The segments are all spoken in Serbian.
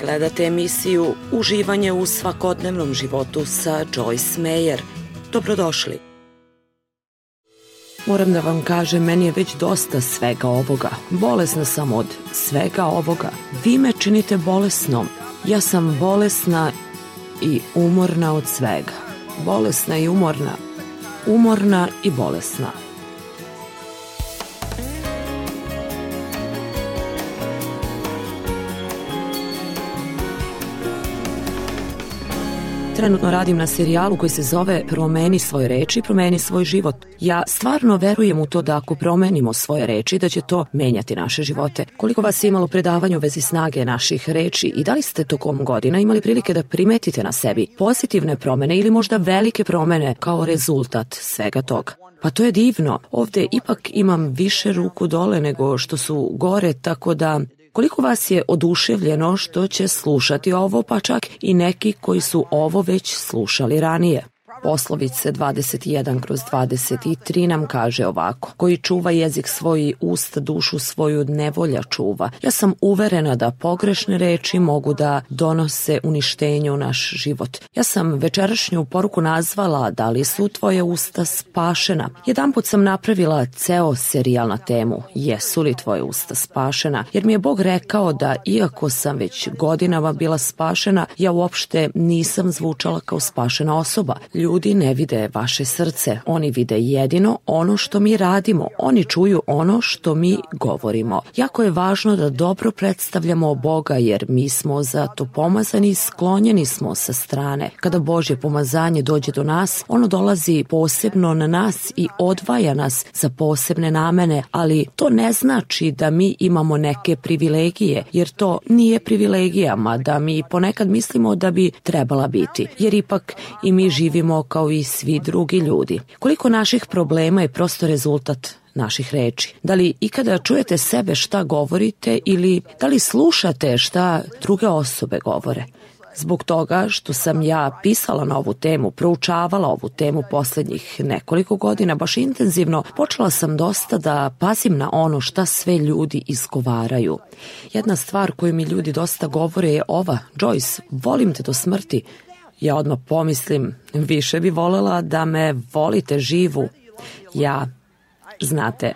Gledate emisiju Uživanje u svakodnevnom životu sa Joyce Meyer. Dobrodošli. Moram da vam kažem, meni je već dosta svega ovoga. Bolesna sam od svega ovoga. Vi me činite bolesnom. Ja sam bolesna i umorna od svega. Bolesna i umorna. Umorna i bolesna. Trenutno radim na serijalu koji se zove Promeni svoje reči, promeni svoj život. Ja stvarno verujem u to da ako promenimo svoje reči, da će to menjati naše živote. Koliko vas je imalo predavanja u vezi snage naših reči i da li ste tokom godina imali prilike da primetite na sebi pozitivne promene ili možda velike promene kao rezultat svega toga? Pa to je divno. Ovde ipak imam više ruku dole nego što su gore, tako da... Koliko vas je oduševljeno što će slušati ovo, pa čak i neki koji su ovo već slušali ranije? Poslovice 21/23 nam kaže ovako: koji čuva jezik svoj, usta dušu svoju nevolja čuva. Ja sam uverena da pogrešne reči mogu da donose uništenje u naš život. Ja sam večerašnju poruku nazvala Da li su tvoje usta spašena? Jedanput sam napravila ceo serijal na temu Jesu li tvoje usta spašena? Jer mi je Bog rekao da iako sam već godinama bila spašena, ja uopšte nisam zvučala kao spašena osoba. Ljudi ne vide vaše srce, oni vide jedino ono što mi radimo, oni čuju ono što mi govorimo. Jako je važno da dobro predstavljamo Boga jer mi smo za to pomazani i sklonjeni smo sa strane. Kada Božje pomazanje dođe do nas, ono dolazi posebno na nas i odvaja nas za posebne namene, ali to ne znači da mi imamo neke privilegije, jer to nije privilegija, mada mi ponekad mislimo da bi trebala biti, jer ipak i mi živimo kao i svi drugi ljudi. Koliko naših problema je prosto rezultat naših reči? Da li ikada čujete sebe šta govorite ili da li slušate šta druge osobe govore? Zbog toga što sam ja pisala na ovu temu, proučavala ovu temu poslednjih nekoliko godina, baš intenzivno, počela sam dosta da pazim na ono šta sve ljudi izgovaraju. Jedna stvar koju mi ljudi dosta govore je ova: Joyce, volim te do smrti. Ja odmah pomislim, više bi volela da me volite živu. Znate,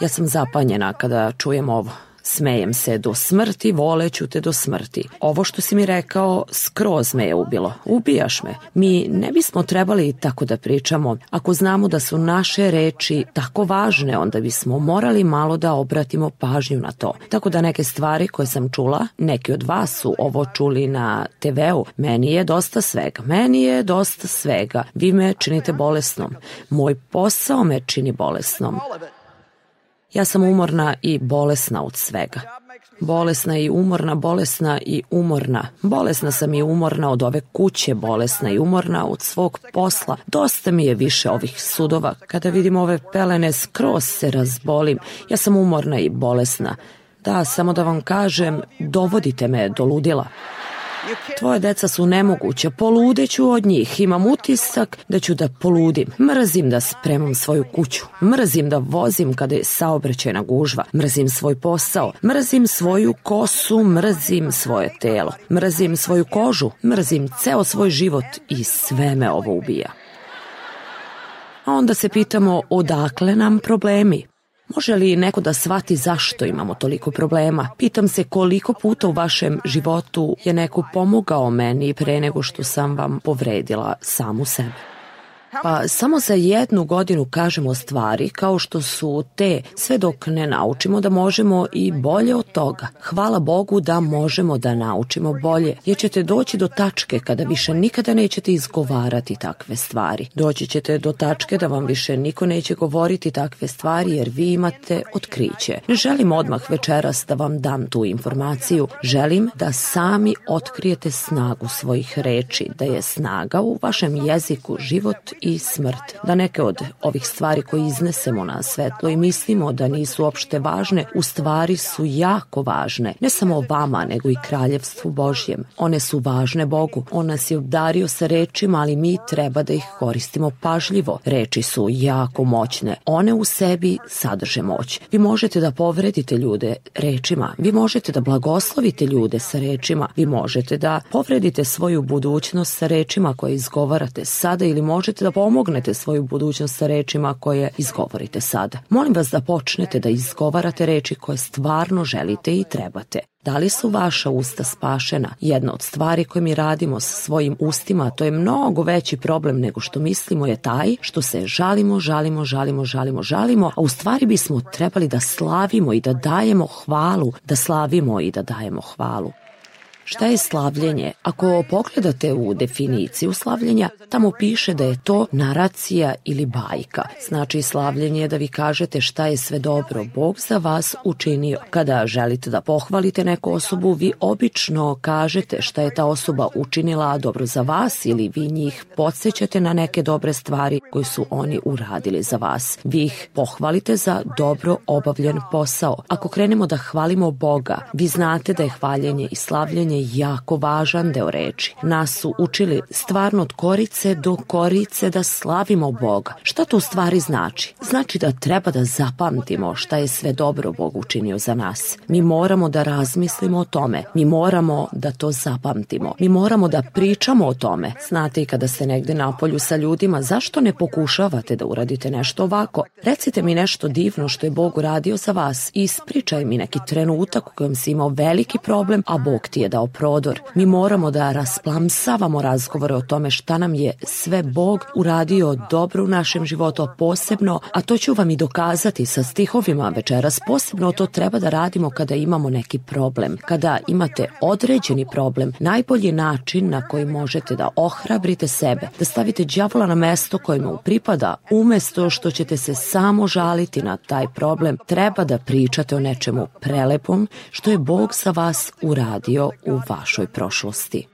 ja sam zapanjena kada čujem ovo. Smejem se do smrti, voleću te do smrti. Ovo što si mi rekao skroz me je ubilo. Ubijaš me. Mi ne bismo trebali tako da pričamo. Ako znamo da su naše reči tako važne, onda bismo morali malo da obratimo pažnju na to. Tako da neke stvari koje sam čula, neki od vas su ovo čuli na TV-u, meni je dosta svega. Vi me činite bolesnom. Moj posao me čini bolesnom. Ja sam umorna i bolesna od svega. Bolesna i umorna, bolesna i umorna. Bolesna sam i umorna od ove kuće, bolesna i umorna od svog posla. Dosta mi je više ovih sudova. Kada vidim ove pelene, skroz se razbolim. Ja sam umorna i bolesna. Da, samo da vam kažem, dovodite me do ludila. Tvoje deca su nemoguće, poludeću od njih, imam utisak da ću da poludim. Mrzim da spremam svoju kuću, mrzim da vozim kada je saobraćajna gužva, mrzim svoj posao, mrzim svoju kosu, mrzim svoje telo, mrzim svoju kožu, mrzim ceo svoj život i sve me ovo ubija. A onda se pitamo odakle nam problemi? Može li neko da shvati zašto imamo toliko problema? Pitam se koliko puta u vašem životu je neko pomogao meni pre nego što sam vam povredila samu sebe. Pa samo za 1 godinu kažemo stvari kao što su te, sve dok ne naučimo da možemo i bolje od toga. Hvala Bogu da možemo da naučimo bolje, jer ćete doći do tačke kada više nikada nećete izgovarati takve stvari. Doći ćete do tačke da vam više niko neće govoriti takve stvari jer vi imate otkriće. Ne želim odmah večeras da vam dam tu informaciju. Želim da sami otkrijete snagu svojih reči, da je snaga u vašem jeziku život i smrt. Da neke od ovih stvari koje iznesemo na svetlo i mislimo da nisu uopšte važne, u stvari su jako važne. Ne samo vama, nego i kraljevstvu Božjem. One su važne Bogu. On nas je obdario sa rečima, ali mi treba da ih koristimo pažljivo. Reči su jako moćne. One u sebi sadrže moć. Vi možete da povredite ljude rečima. Vi možete da blagoslovite ljude sa rečima. Vi možete da povredite svoju budućnost sa rečima koje izgovarate sada ili možete da pomognete svoju budućnost sa rečima koje izgovorite sada. Molim vas da počnete da izgovarate reči koje stvarno želite i trebate. Da li su vaša usta spašena? Jedna od stvari koje mi radimo sa svojim ustima, to je mnogo veći problem nego što mislimo, je taj što se žalimo, a u stvari bismo trebali da slavimo i da dajemo hvalu, da slavimo i da dajemo hvalu. Šta je slavljenje? Ako pogledate u definiciju slavljenja, tamo piše da je to naracija ili bajka. Znači slavljenje je da vi kažete šta je sve dobro Bog za vas učinio. Kada želite da pohvalite neku osobu, vi obično kažete šta je ta osoba učinila dobro za vas ili vi njih podsjećate na neke dobre stvari koje su oni uradili za vas. Vi ih pohvalite za dobro obavljen posao. Ako krenemo da hvalimo Boga, vi znate da je hvaljenje i slavljenje jako važan deo reči. Nas su učili stvarno od korice do korice da slavimo Boga. Šta to u stvari znači? Znači da treba da zapamtimo šta je sve dobro Bog učinio za nas. Mi moramo da razmislimo o tome. Mi moramo da to zapamtimo. Mi moramo da pričamo o tome. Znate, i kada ste negde napolju sa ljudima, zašto ne pokušavate da uradite nešto ovako? Recite mi nešto divno što je Bog uradio za vas i ispričaj mi neki trenutak u kojem si imao veliki problem, a Bog ti je dao prodor. Mi moramo da rasplamsavamo razgovore o tome šta nam je sve Bog uradio dobro u našem životu, posebno, a to ću vam i dokazati sa stihovima večeras, posebno to treba da radimo kada imamo neki problem. Kada imate određeni problem, najbolji način na koji možete da ohrabrite sebe, da stavite đavola na mesto koje mu pripada, umesto što ćete se samo žaliti na taj problem, treba da pričate o nečemu prelepom što je Bog za vas uradio u vašoj prošlosti.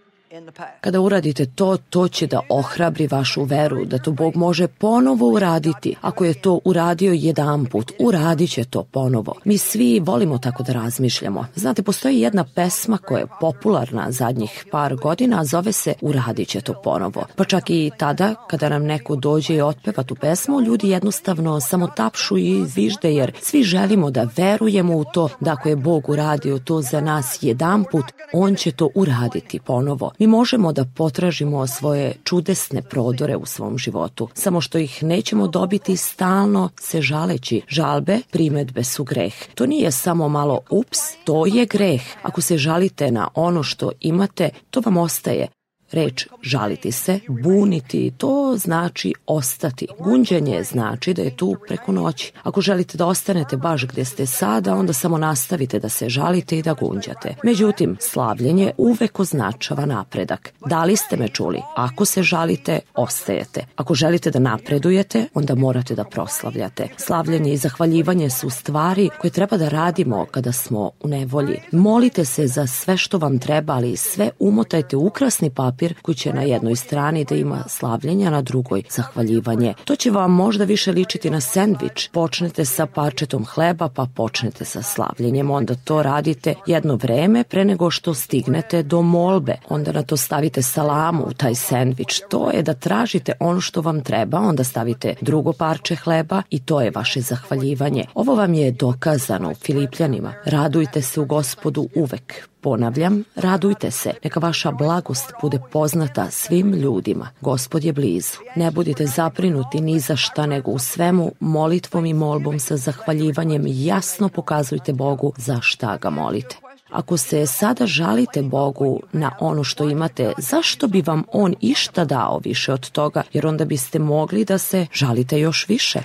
Kada uradite to, to će da ohrabri vašu veru, da to Bog može ponovo uraditi. Ako je to uradio jedanput, uradit će to ponovo. Mi svi volimo tako da razmišljamo. Znate, postoji jedna pesma koja je popularna zadnjih par godina, a zove se Uradit će to ponovo. Pa čak i tada, kada nam neko dođe i otpeva tu pesmu, ljudi jednostavno samo tapšu i zvižde, jer svi želimo da verujemo u to da ako je Bog uradio to za nas jedanput, On će to uraditi ponovo. Mi možemo da potražimo svoje čudesne prodore u svom životu, samo što ih nećemo dobiti stalno se žaleći. Žalbe, primedbe su greh. To nije samo malo ups, to je greh. Ako se žalite na ono što imate, to vam ostaje. Reč žaliti se, buniti, to znači ostati. Gunđanje znači da je tu preko noći. Ako želite da ostanete baš gde ste sada, onda samo nastavite da se žalite i da gunđate. Međutim, slavljenje uvek označava napredak. Da li ste me čuli? Ako se žalite, ostajete. Ako želite da napredujete, onda morate da proslavljate. Slavljenje i zahvaljivanje su stvari koje treba da radimo kada smo u nevolji. Molite se za sve što vam treba, ali sve umotajte u ukrasni papir koji će na jednoj strani da ima slavljenje, a na drugoj zahvaljivanje. To će vam možda više ličiti na sendvič. Počnete sa parčetom hleba, pa počnete sa slavljenjem. Onda to radite jedno vreme pre nego što stignete do molbe. Onda na to stavite salamu u taj sendvič. To je da tražite ono što vam treba, onda stavite drugo parče hleba i to je vaše zahvaljivanje. Ovo vam je dokazano u Filipljanima. Radujte se u Gospodu uvek. Ponavljam, radujte se, neka vaša blagost bude poznata svim ljudima. Gospod je blizu. Ne budite zabrinuti ni za šta, nego u svemu molitvom i molbom sa zahvaljivanjem jasno pokazujte Bogu za šta ga molite. Ako se sada žalite Bogu na ono što imate, zašto bi vam On išta dao više od toga, jer onda biste mogli da se žalite još više?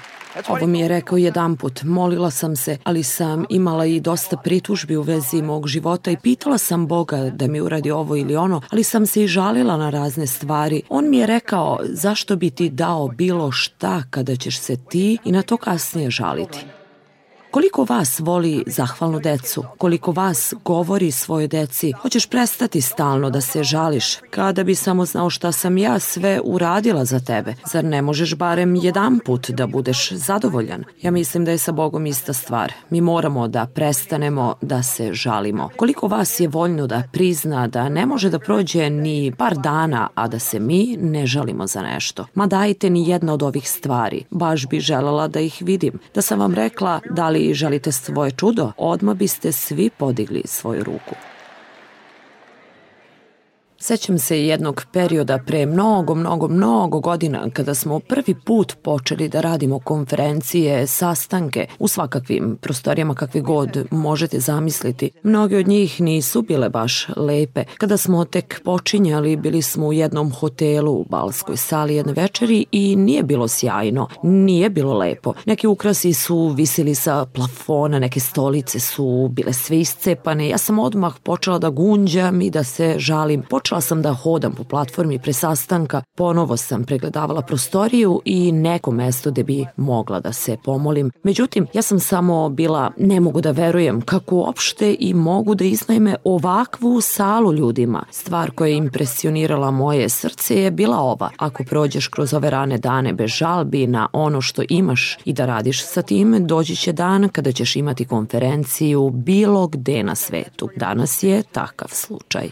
Ovo mi je rekao jedanput, molila sam se, ali sam imala i dosta pritužbi u vezi mog života i pitala sam Boga da mi uradi ovo ili ono, ali sam se i žalila na razne stvari. On mi je rekao, zašto bi ti dao bilo šta kada ćeš se ti i na to kasnije žaliti? Koliko vas voli zahvalnu decu? Koliko vas govori svojoj deci? Hoćeš prestati stalno da se žališ? Kada bi samo znao šta sam ja sve uradila za tebe? Zar ne možeš barem jedanput da budeš zadovoljan? Ja mislim da je sa Bogom ista stvar. Mi moramo da prestanemo da se žalimo. Koliko vas je voljno da prizna da ne može da prođe ni par dana, a da se mi ne žalimo za nešto? Ma dajte ni jedna od ovih stvari. Baš bi želela da ih vidim. Da sam vam rekla da li želite svoje čudo, odmah biste svi podigli svoju ruku. Sećam se jednog perioda pre mnogo godina kada smo prvi put počeli da radimo konferencije, sastanke u svakakvim prostorijama kakve god možete zamisliti. Mnoge od njih nisu bile baš lepe. Kada smo tek počinjali, bili smo u jednom hotelu u balskoj sali jedne večeri i nije bilo sjajno, nije bilo lepo. Neki ukrasi su visili sa plafona, neke stolice su bile sve iscepane. Ja sam odmah počela da gunđam i da se žalim. Počela sam da hodam po platformi pre sastanka, ponovo sam pregledavala prostoriju i neko mesto gde bi mogla da se pomolim. Međutim, ja sam samo bila, ne mogu da verujem kako uopšte i mogu da iznajme ovakvu salu ljudima. Stvar koja je impresionirala moje srce je bila ova: ako prođeš kroz ove rane dane bez žalbi na ono što imaš i da radiš sa tim, doći će dan kada ćeš imati konferenciju bilo gde na svetu. Danas je takav slučaj.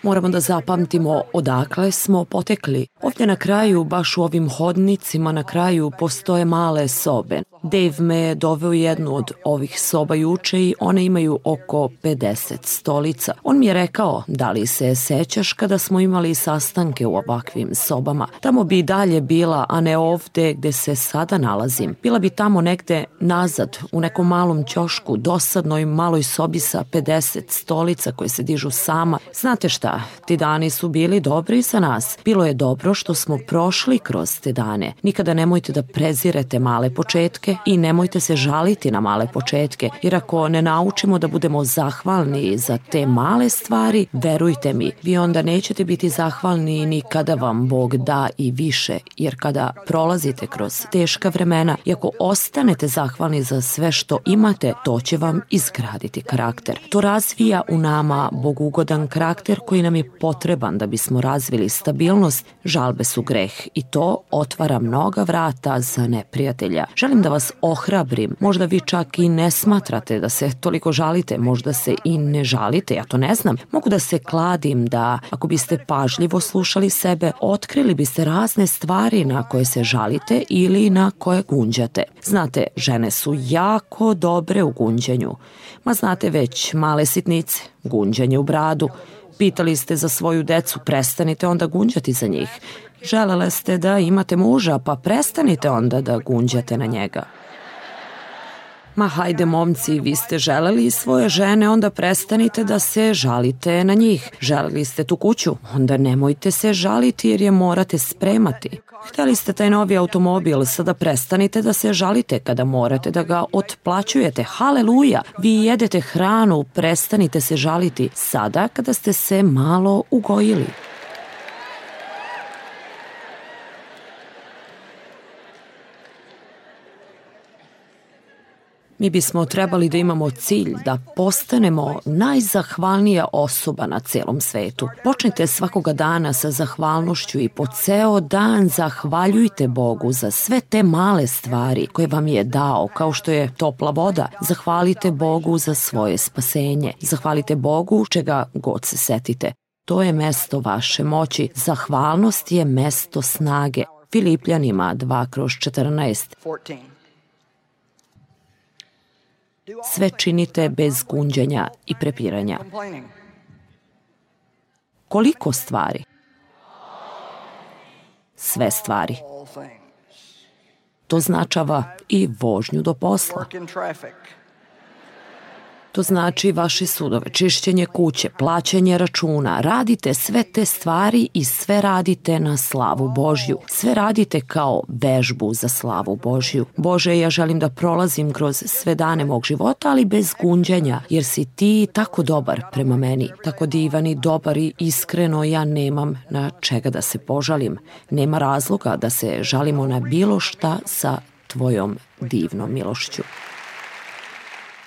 Moramo da zapamtimo odakle smo potekli. Ovdje na kraju, baš u ovim hodnicima na kraju, postoje male sobe. Dave me je doveo u jednu od ovih soba juče i one imaju oko 50 stolica. On mi je rekao: da li se sećaš kada smo imali sastanke u ovakvim sobama? Tamo bi i dalje bila, a ne ovde gde se sada nalazim. Bila bi tamo negde nazad, u nekom malom ćošku, dosadnoj maloj sobi sa 50 stolica koje se dižu sama. Znate šta, ti dani su bili dobri za nas. Bilo je dobro što smo prošli kroz te dane. Nikada nemojte da prezirete male početke i nemojte se žaliti na male početke, jer ako ne naučimo da budemo zahvalni za te male stvari, verujte mi, vi onda nećete biti zahvalni ni kada vam Bog da i više, jer kada prolazite kroz teška vremena i ako ostanete zahvalni za sve što imate, to će vam izgraditi karakter. To razvija u nama bogugodan karakter koji nam je potreban da bismo razvili stabilnost. Žalbe su greh i to otvara mnoga vrata za neprijatelja. Želim da vas ohrabrim, možda vi čak i ne smatrate da se toliko žalite, možda se i ne žalite, ja to ne znam. Mogu da se kladim da ako biste pažljivo slušali sebe, otkrili biste razne stvari na koje se žalite ili na koje gunđate. Znate, žene su jako dobre u gunđenju. Ma znate već, male sitnice, gunđanje u bradu. Pitali ste za svoju decu, prestanite onda gunđati za njih. Želele ste da imate muža, pa prestanite onda da gunđate na njega. Ma hajde momci, vi ste želeli svoje žene, onda prestanite da se žalite na njih. Želeli ste tu kuću, onda nemojte se žaliti jer je morate spremati. Hteli ste taj novi automobil, sada prestanite da se žalite kada morate da ga otplaćujete. Haleluja! Vi jedete hranu, prestanite se žaliti sada kada ste se malo ugojili. Mi bismo trebali da imamo cilj da postanemo najzahvalnija osoba na celom svetu. Počnite svakoga dana sa zahvalnošću i po ceo dan zahvaljujte Bogu za sve te male stvari koje vam je dao, kao što je topla voda. Zahvalite Bogu za svoje spasenje. Zahvalite Bogu čega god se setite. To je mesto vaše moći. Zahvalnost je mesto snage. Filipljanima 2/14. Sve činite bez gunđenja i prepiranja. Koliko stvari? Sve stvari. To značava i vožnju do posla. To znači vaše sudove, čišćenje kuće, plaćanje računa. Radite sve te stvari i sve radite na slavu Božju. Sve radite kao vežbu za slavu Božju. Bože, ja želim da prolazim kroz sve dane mog života, ali bez gunđenja, jer si ti tako dobar prema meni. Tako divan i dobar i iskreno ja nemam na čega da se požalim. Nema razloga da se žalimo na bilo šta sa tvojom divnom milošću.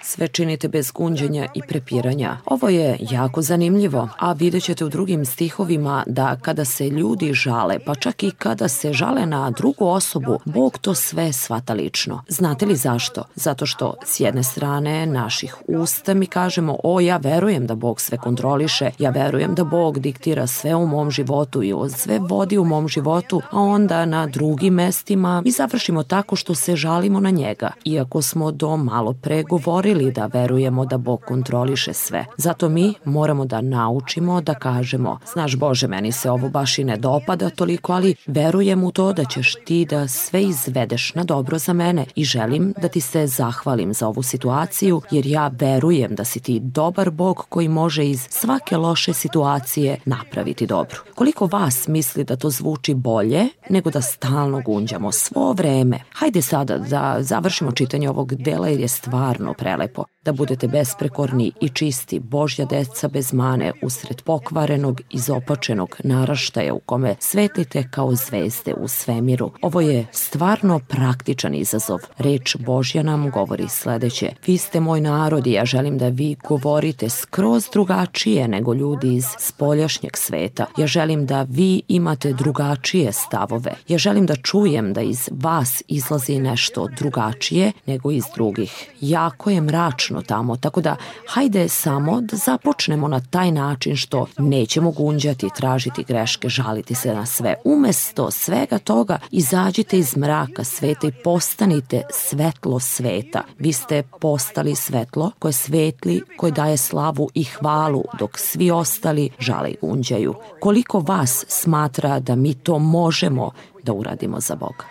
Sve činite bez gunđenja i prepiranja. Ovo je jako zanimljivo, a vidjet ćete u drugim stihovima da kada se ljudi žale, pa čak i kada se žale na drugu osobu, Bog to sve shvata lično. Znate li zašto? Zato što s jedne strane naših usta mi kažemo, ja verujem da Bog sve kontroliše, ja verujem da Bog diktira sve u mom životu i sve vodi u mom životu, a onda na drugim mestima mi završimo tako što se žalimo na njega, iako smo do malo pre govorili da verujemo da Bog kontroliše sve. Zato mi moramo da naučimo da kažemo, znaš Bože, meni se ovo baš i ne dopada toliko, ali verujem u to da ćeš ti da sve izvedeš na dobro za mene i želim da ti se zahvalim za ovu situaciju, jer ja verujem da si ti dobar Bog koji može iz svake loše situacije napraviti dobro. Koliko vas misli da to zvuči bolje nego da stalno gunđamo svo vreme? Hajde sada da završimo čitanje ovog dela jer je stvarno prelepo. Da budete besprekorni i čisti, Božja deca bez mane, usred pokvarenog, izopačenog naraštaja u kome svetlite kao zvezde u svemiru. Ovo je stvarno praktičan izazov. Reč Božja nam govori sledeće. Vi ste moj narod i ja želim da vi govorite skroz drugačije nego ljudi iz spoljašnjeg sveta. Ja želim da vi imate drugačije stavove. Ja želim da čujem da iz vas izlazi nešto drugačije nego iz drugih. Jako je mračno tamo, tako da hajde samo da započnemo na taj način što nećemo gunđati, tražiti greške, žaliti se na sve. Umesto svega toga izađite iz mraka sveta i postanite svetlo sveta. Vi ste postali svetlo koje svetli, koje daje slavu i hvalu, dok svi ostali žale i gunđaju. Koliko vas smatra da mi to možemo da uradimo za Boga?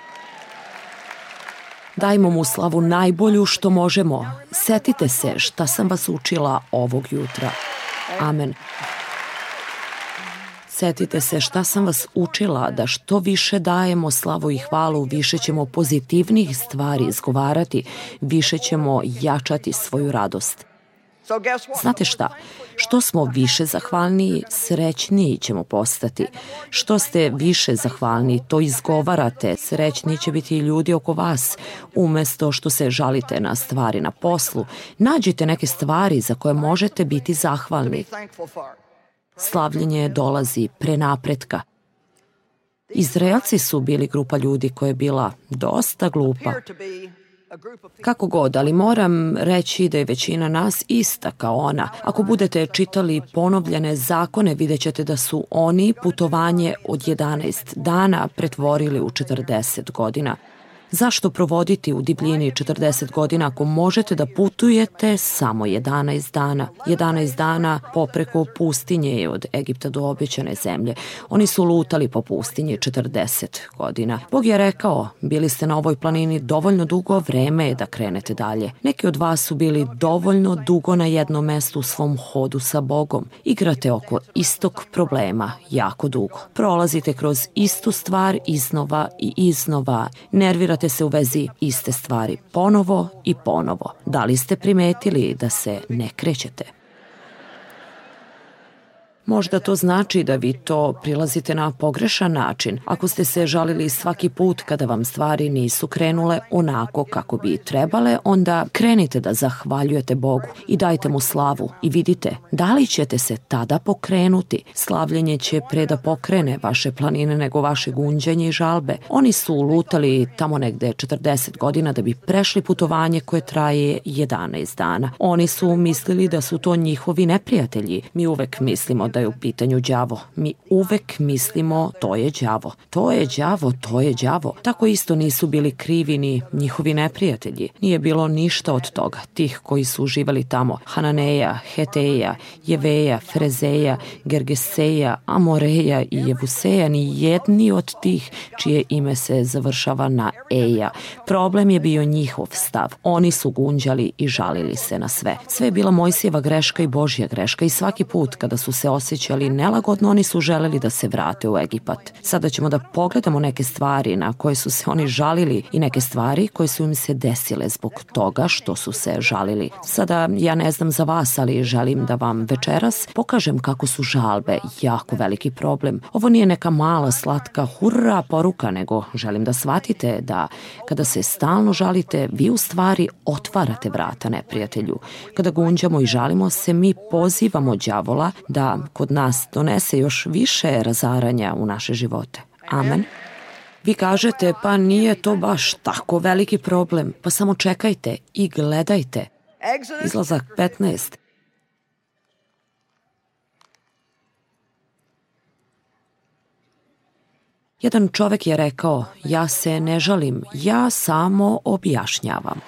Dajmo mu slavu najbolju što možemo. Setite se šta sam vas učila ovog jutra. Amen. Setite se šta sam vas učila, da što više dajemo slavu i hvalu, više ćemo pozitivnih stvari izgovarati, više ćemo jačati svoju radost. Znate šta? Što smo više zahvalniji, srećniji ćemo postati. Što ste više zahvalniji, to izgovarate, srećniji će biti i ljudi oko vas. Umesto što se žalite na stvari na poslu, nađite neke stvari za koje možete biti zahvalni. Slavljenje dolazi pre napretka. Izraelci su bili grupa ljudi koja je bila dosta glupa. Kako god, ali moram reći da je većina nas ista kao ona. Ako budete čitali ponovljene zakone, vidjet ćete da su oni putovanje od 11 dana pretvorili u 40 godina. Zašto provoditi u divljini 40 godina ako možete da putujete samo 11 dana? 11 dana popreko pustinje je od Egipta do obećane zemlje. Oni su lutali po pustinji 40 godina. Bog je rekao, bili ste na ovoj planini dovoljno dugo, vreme je da krenete dalje. Neki od vas su bili dovoljno dugo na jednom mestu u svom hodu sa Bogom. Igrate oko istog problema jako dugo. Prolazite kroz istu stvar iznova i iznova. Nervirate se u vezi iste stvari ponovo i ponovo. Da li ste primetili da se ne krećete? Možda to znači da vi to prilazite na pogrešan način. Ako ste se žalili svaki put kada vam stvari nisu krenule onako kako bi trebale, onda krenite da zahvaljujete Bogu i dajte mu slavu i vidite da li ćete se tada pokrenuti. Slavljenje će pre da pokrene vaše planine nego vaše gunđenje i žalbe. Oni su lutali tamo negde 40 godina da bi prešli putovanje koje traje 11 dana. Oni su mislili da su to njihovi neprijatelji. Mi uvek mislimo da je u pitanju đavo. Mi uvek mislimo to je đavo. To je đavo, to je đavo. Tako isto nisu bili krivi ni njihovi neprijatelji. Nije bilo ništa od toga. Tih koji su uživali tamo. Hananeja, Heteja, Jeveja, Frezeja, Gergeseja, Amoreja i Jevuseja, ni jedni od tih čije ime se završava na Eja. Problem je bio njihov stav. Oni su gunđali i žalili se na sve. Sve je bila Mojsijeva greška i Božja greška i svaki put kada su se osjećali nelagodno, oni su želeli da se vrate u Egipat. Sada ćemo da pogledamo neke stvari na koje su se oni žalili i neke stvari koje su im se desile zbog toga što su se žalili. Sada ja ne znam za vas, ali želim da vam večeras pokažem kako su žalbe jako veliki problem. Ovo nije neka mala, slatka, hurra poruka, nego želim da shvatite da kada se stalno žalite, vi u stvari otvarate vrata neprijatelju. Kada gunđamo i žalimo se, mi pozivamo đavola da kod nas donese još više razaranja u naše živote. Amen. Vi kažete, pa nije to baš tako veliki problem, pa samo čekajte i gledajte. Izlazak 15. Jedan čovek je rekao, ja se ne žalim, ja samo objašnjavam.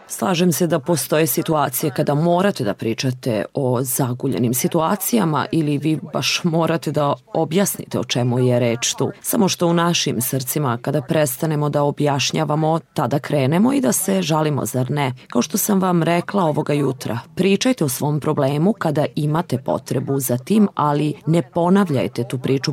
Slažem se da postoje situacije kada morate da pričate o zaguljenim situacijama ili vi baš morate da objasnite o čemu je reč tu. Samo što u našim srcima kada prestanemo da objašnjavamo, tada krenemo i da se žalimo, zar ne? Kao što sam vam rekla ovoga jutra, pričajte o svom problemu kada imate potrebu za tim, ali ne ponavljajte tu priču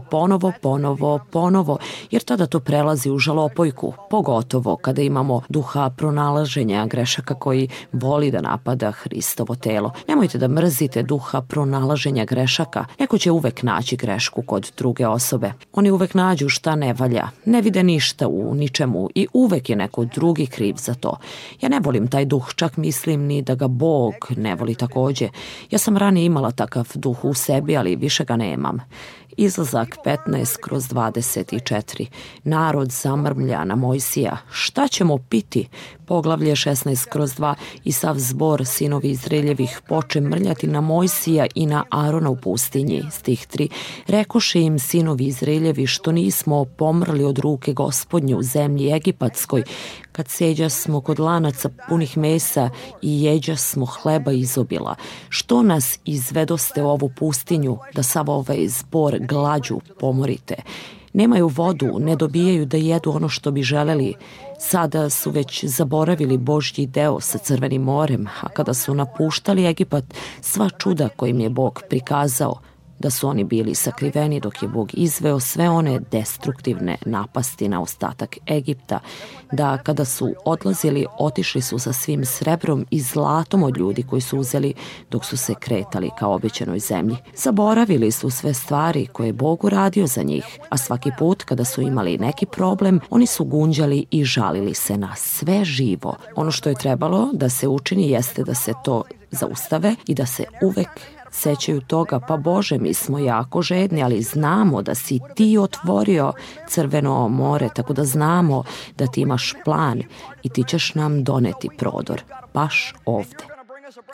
ponovo, jer tada to prelazi u žalopojku, pogotovo kada imamo duha pronalaženja grešaka koji voli da napada Hristovo telo. Nemojte da mrzite duha pronalaženja grešaka. Neko će uvek naći grešku kod druge osobe. Oni uvek nađu šta ne valja. Ne vide ništa u ničemu i uvek je neko drugi kriv za to. Ja ne volim taj duh, čak mislim ni da ga Bog ne voli takođe. Ja sam ranije imala takav duh u sebi, ali više ga nemam. Izlazak 15/24. Narod zamrmlja na Mojsija. Šta ćemo piti? Poglavlje 16/2. I sav zbor sinovi Izraeljevih poče mrljati na Mojsija i na Arona u pustinji. Stih 3. Rekoše im sinovi Izraeljevi što nismo pomrli od ruke Gospodnje u zemlji Egipatskoj, kad seđa smo kod lanaca punih mesa i jeđa smo hleba izobila. Što nas izvedoste u ovu pustinju da sav ovaj zbor glađu pomorite? Nemaju vodu, ne dobijaju da jedu ono što bi želeli. Sada su već zaboravili Božji deo sa Crvenim morem, a kada su napuštali Egipat, sva čuda kojim je Bog prikazao, da su oni bili sakriveni dok je Bog izveo sve one destruktivne napasti na ostatak Egipta, da kada su odlazili, otišli su sa svim srebrom i zlatom od ljudi koji su uzeli dok su se kretali ka obećanoj zemlji. Zaboravili su sve stvari koje je Bog uradio za njih, a svaki put kada su imali neki problem, oni su gunđali i žalili se na sve živo. Ono što je trebalo da se učini jeste da se to zaustave i da se uvek sećaju toga, pa Bože, mi smo jako žedni, ali znamo da si ti otvorio Crveno more, tako da znamo da ti imaš plan i ti ćeš nam doneti prodor, baš ovde.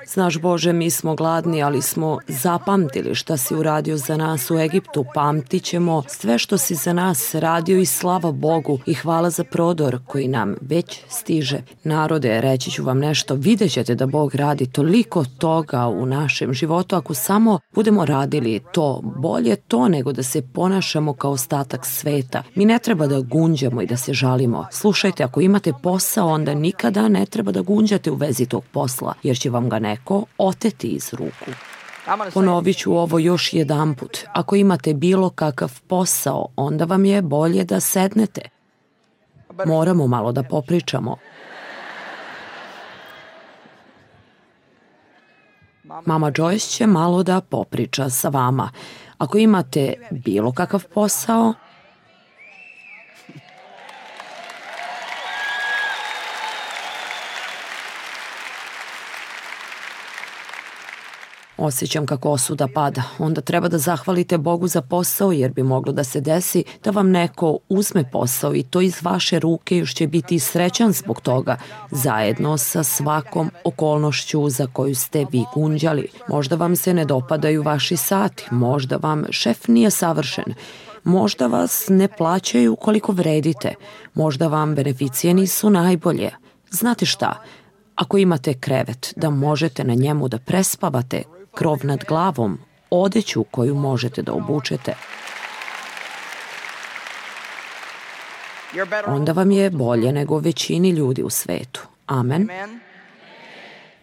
Znaš Bože, mi smo gladni, ali smo zapamtili šta si uradio za nas u Egiptu, pamtit ćemo sve što si za nas radio i slava Bogu i hvala za prodor koji nam već stiže. Narode, reći ću vam nešto, vidjet ćete da Bog radi toliko toga u našem životu, ako samo budemo radili to, bolje to nego da se ponašamo kao ostatak sveta. Mi ne treba da gunđamo i da se žalimo. Slušajte, ako imate posao, onda nikada ne treba da gunđate u vezi tog posla, jer će vam ga neko oteti iz ruku. Ponovit ću ovo još jedanput. Ako imate bilo kakav posao, onda vam je bolje da sednete. Moramo malo da popričamo. Mama Joyce će malo da popriča sa vama. Ako imate bilo kakav posao, osjećam kako osuda pada. Onda treba da zahvalite Bogu za posao, jer bi moglo da se desi da vam neko uzme posao i to iz vaše ruke, još će biti srećan zbog toga, zajedno sa svakom okolnošću za koju ste vi gunđali. Možda vam se ne dopadaju vaši sati, možda vam šef nije savršen, možda vas ne plaćaju koliko vredite, možda vam beneficije nisu najbolje. Znate šta? Ako imate krevet, da možete na njemu da prespavate, krov nad glavom, odeću koju možete da obučete, onda vam je bolje nego većini ljudi u svetu. Amen.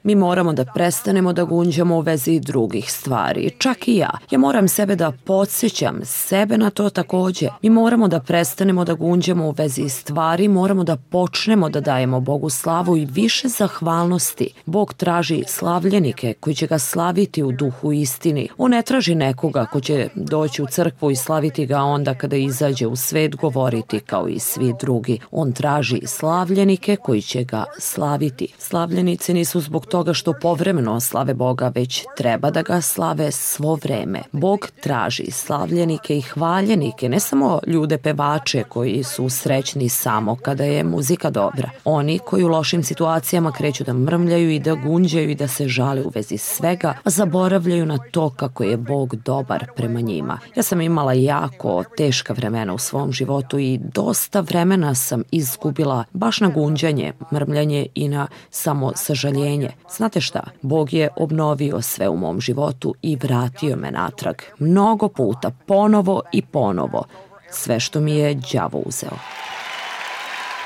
Mi moramo da prestanemo da gunđamo u vezi drugih stvari, čak i ja. Ja moram sebe da podsjećam, sebe na to takođe. Mi moramo da prestanemo da gunđamo u vezi stvari, moramo da počnemo da dajemo Bogu slavu i više zahvalnosti. Bog traži slavljenike koji će ga slaviti u duhu istini. On ne traži nekoga ko će doći u crkvu i slaviti ga onda kada izađe u svet govoriti kao i svi drugi. On traži slavljenike koji će ga slaviti. Slavljenici nisu zbog toga što povremeno slave Boga, već treba da ga slave svo vreme. Bog traži slavljenike i hvaljenike, ne samo ljude pevače koji su srećni samo kada je muzika dobra. Oni koji u lošim situacijama kreću da mrmljaju i da gunđaju i da se žale u vezi svega, a zaboravljaju na to kako je Bog dobar prema njima. Ja sam imala jako teška vremena u svom životu i dosta vremena sam izgubila baš na gunđanje, mrmljanje i na samo sažaljenje. Znate šta? Bog je obnovio sve u mom životu i vratio me natrag. Mnogo puta, ponovo i ponovo. Sve što mi je đavo uzeo.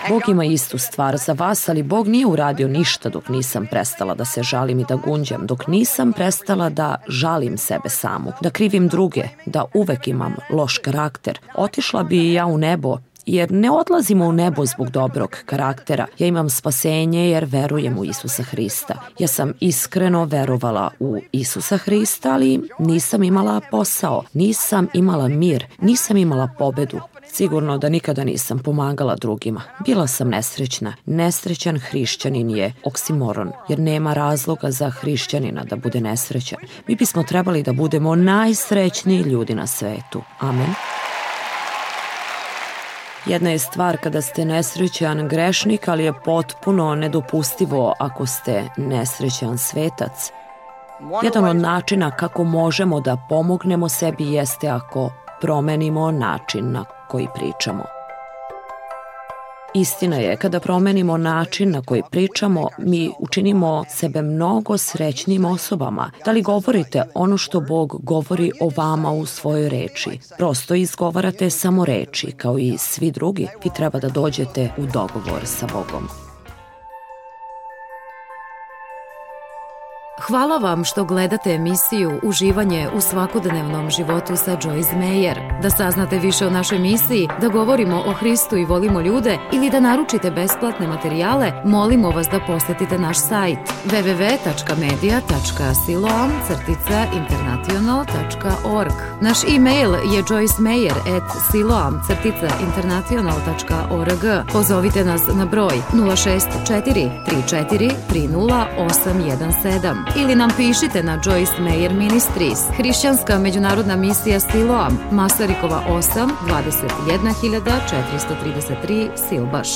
Bog ima istu stvar za vas, ali Bog nije uradio ništa dok nisam prestala da se žalim i da gunđam, dok nisam prestala da žalim sebe samu, da krivim druge, da uvek imam loš karakter. Otišla bi i ja u nebo, jer ne odlazimo u nebo zbog dobrog karaktera. Ja imam spasenje jer verujem u Isusa Hrista. Ja sam iskreno verovala u Isusa Hrista, ali nisam imala posao, nisam imala mir, nisam imala pobedu. Sigurno da nikada nisam pomagala drugima. Bila sam nesrećna. Nesrećan hrišćanin je oksimoron, jer nema razloga za hrišćanina da bude nesrećan. Mi bismo trebali da budemo najsrećniji ljudi na svetu. Amen. Jedna je stvar kada ste nesrećan grešnik, ali je potpuno nedopustivo ako ste nesrećan svetac. Jedan od načina kako možemo da pomognemo sebi jeste ako promenimo način na koji pričamo. Istina je, kada promenimo način na koji pričamo, mi učinimo sebe mnogo srećnim osobama. Da li govorite ono što Bog govori o vama u svojoj reči? Prosto izgovarate samo reči, kao i svi drugi. Vi treba da dođete u dogovor sa Bogom. Hvala vam što gledate emisiju Uživanje u svakodnevnom životu sa Joyce Meyer. Da saznate više o našoj misiji, da govorimo o Hristu i volimo ljude ili da naručite besplatne materijale, molimo vas da posetite naš sajt www.media.siloam-international.org. Naš e-mail je joycemeyer@siloam-international.org. Pozovite nas na broj 064 34 30 817 ili nam pišite na Joyce Meyer Ministries, Hrišćanska međunarodna misija Siloam, Masarikova 8, 21433 Silbaš.